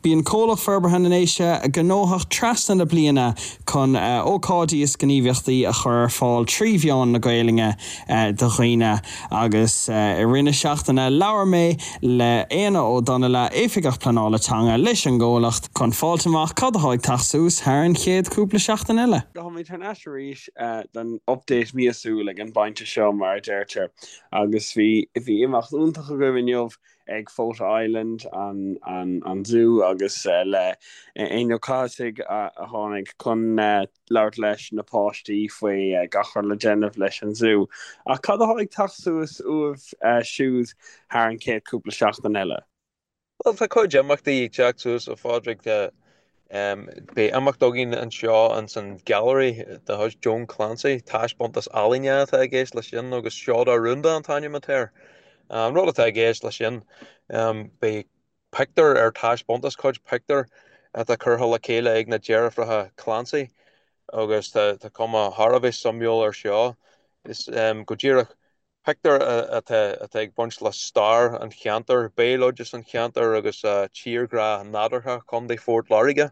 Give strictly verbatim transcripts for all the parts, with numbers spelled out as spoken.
Bíonn Comhlacht Forbartha na nDéise gnóthach trasna na bliana chun ócáidí is gníomhaíochtaí a chur ar fáil trí mheán na Gaeilge do dhaoine agus i rith na seachtaine labhair mé le Éanna Ó Donnaile Oifigeach Pleanála Teanga leis an gcomhlacht chun fáil amach cad atá ag teacht suas thar an chéad cúpla seachtain eile. Táimid thar n-ais arís don update míosúil ag an bpointe seo mar a deirtear agus bhí bhí imeacht iontach agaibh inniu ag Fota Island an, an, an Zoo agus uh, le Éanna Ó Cathasaigh a, a tháinig chun uh, labhairt leis na páistí faoi uh, gach rud le déanamh leis an zoo. Ach cad atá ag teacht suas uaibh uh, siúd thar an chéad cúpla seachtain eile. Well tá cuid imeachtaí ag teacht suas a Phádraig um, Beidh imeacht againn anseo an san Gallery de chuid Joan Clancy, taispeántas ealaíne atá i gceist leis sin agus Seoda Rúnda an t-ainm atá air. Um, rud atá i gceist leis sin um, beidh pictiúr ar taispeántas cuid pictiúr atá curtha le chéile ag na deirfiúracha Clancy agus tá tá cuma thar a bheith suimiúil ar seo is um, go díreach pictiúr atá atá ag baint le stair an cheantair, béaloideas an cheantair agus uh, tírghrá nádúrtha Chontae Phort Láirge.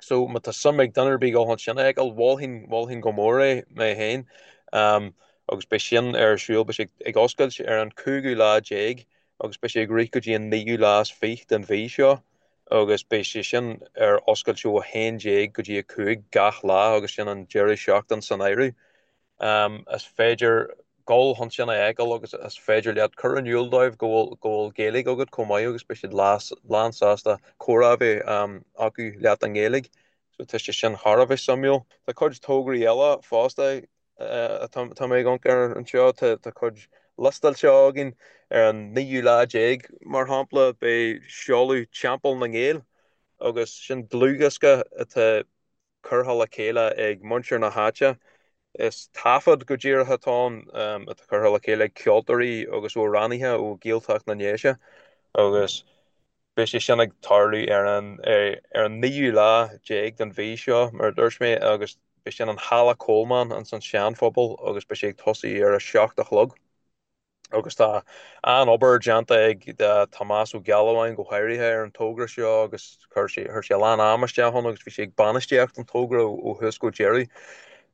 So má tá suim ag duine ar bith dul sin ag mholfainn mholfainn go mór é mé féin. Um, agus beidh sin ar siúl beidh sé ag oscailt ar an cúigiú lá déag agus beidh sé ag rith go dtí an naoú lá is fiche den mhí seo agus beidh sé sin ar oscailt ó a haon déag go dtí a cúig gach lá agus sin an deireadh seachtain san áireamh. Um, is féidir dul chun sin a fheiceáil agus is féidir leat cur in iúl dóibh go bhfuil go bhfuil Gaeilge agat chomh maith agus beidh siad lán sásta comhrá a bheith um, acu leat an Ghaeilge. So tá sé sin thar a bheith suimiúil. Tá cuid tograí eile fosta tá mé ag amharc ar anseo tá cuid liostáilte againn ar an naoú lá déag mar shampla beidh seoladh Teampall na nGael agus sin dlúthdhiosca atá curtha le chéile ag muintir na háite. Is taifead go díreach atá ann atá curtha le chéile ag ceoltóirí agus amhránaithe ó Ghaeltacht na nDéise agus beidh sé sin ag tarlú ar an ar an naoú lá déag den mhí seo mar a dúirt mé agus beidh sin an Halla Coleman an san Seanphobal agus beidh sé ag tosú ar a seacht a chlog. Agus tá an-obair déanta ag Tomás Ó Gealbháin go háirithe ar an togra seo agus chuir sé chuir sé a lán ama isteach ann agus bhí sé ag bainistíocht an togra ó thús go deireadh.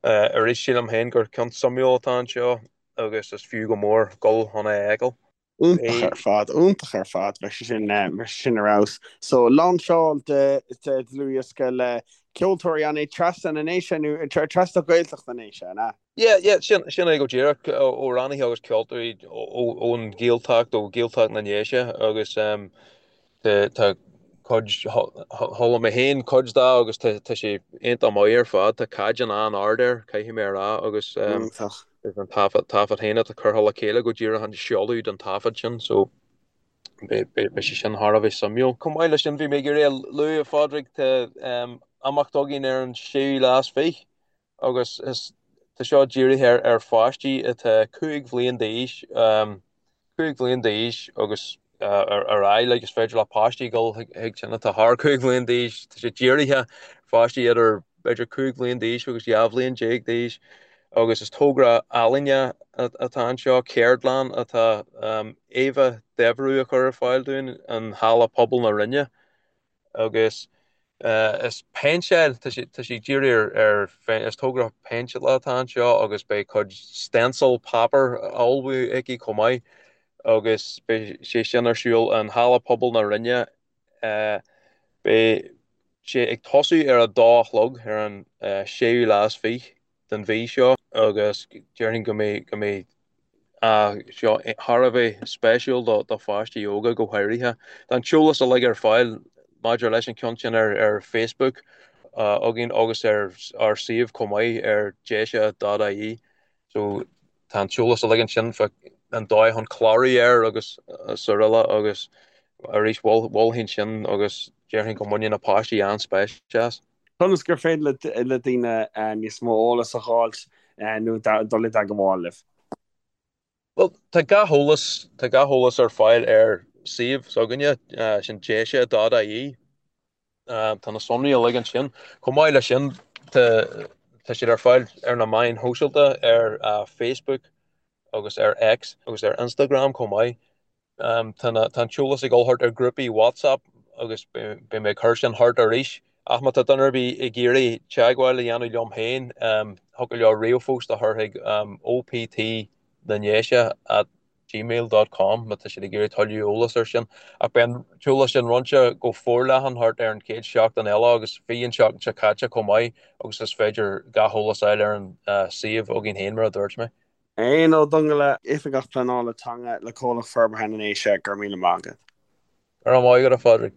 Arís sílim féin gur ceann suimiúil atá anseo agus is fiú go mór dul chun é a fheiceáil. Iontach ar fad, iontach ar fad bheidh sé sin mar sin ar fheabhas. So lainseáil de de dlúthdhiosca le ceoltóirí an é trasna na nDéise nó trasna Gaeltacht na nDéise na? Yeah, yeah, sin sin é go díreach amhránaithe agus ceoltóirí ón Ghaeltacht ó Ghaeltacht na nDéise agus um, tá cuid chuala mé féin cuid de agus tá sé iontach maith ar fad, tá caighdeán an-ard air caithfidh mé a rá agus um, an taifead taifead féin atá curtha le chéile go díreach an seoladh den taifead sin, so beidh sé sin thar a bheith suimiúil. Chomh maith leis sin bhí mé ag iarraidh a lua a Phádraig tá um, imeacht againn ar an séú lá is fiche agus is tá seo dírithe ar ar pháistí atá cúig bhliain d'aois um, cúig bhliain d'aois agus uh, ar ar aghaidh like, is féidir le páistí dul chuig sin atá thar cúig bhliain d'aois tá sé dírithe pháistí idir b'fhéidir cúig bhliain d'aois agus dhá bhliain déag d'aois agus is togra ealaíne atá anseo ceardlann atá um, Éabha Devereux a chur ar fáil dúinn an Halla Pobal na Rinne agus uh, is péinteáil tá sé tá sé dírithe ar ar is togra péinteála atá anseo agus beidh cuid stencil páipéar á ullmhú aici chomh maith agus beidh sé sin ar siúl an Halla Pobal na Rinne uh, beidh sé ag tosú ar a dó a chlog ar an uh, séú lá is fiche den mhí seo agus déarfainn go mbeidh go mbeidh uh, seo thar a bheith spéisiúil do do pháistí óga go háirithe. Tá an t-eolas uilig ar fáil maidir leis an ceann sin ar ar Facebook uh, againn agus ar ár suíomh chomh maith ar deise.ie so tá an t-eolas uilig ansin fá an dóigh chun clárú air agus araile agus arís mholfainn sin agus déarfainn go mbaineann na páistí an-spéis as. Conas gur féidir le le daoine níos mó eolas a fháilt nó dul i dteagmháil libh. Well tá gach eolas tá gach eolas ar fáil ar suíomh s'againne sin deise.ie Tá na sonraí uilig ansin. Chomh maith leis sin tá tá siad ar fáil ar na meáin shóisialta ar uh, Facebook agus ar X agus ar Instagram chomh maith. Um, tá na- tá an t-eolas ag dul thart ar grúpaí WhatsApp agus beidh mé ag cur sin thart arís. Ach má tá duine ar bith ag iarraidh teagmháil a dhéanamh liom féin, thiocfadh leo ríomhphost a chur chuig OPT na nDéise at gmail dot com má tá siad ag iarraidh tuilleadh eolas ar sin. Ach beidh an t-eolas sin roinnte go forleathan thart ar an chéad seachtain eile agus bhí an tseachtain seo caite chomh maith agus is féidir gach eolas a fháil ar an suíomh againn féin mar a dúirt mé. Éanna Ó Donnghaile, Oifigeach Pleanála Teanga le Comhlacht Forbartha na nDéise, go raibh míle maith agat. Go raibh maith agat a Phádraig.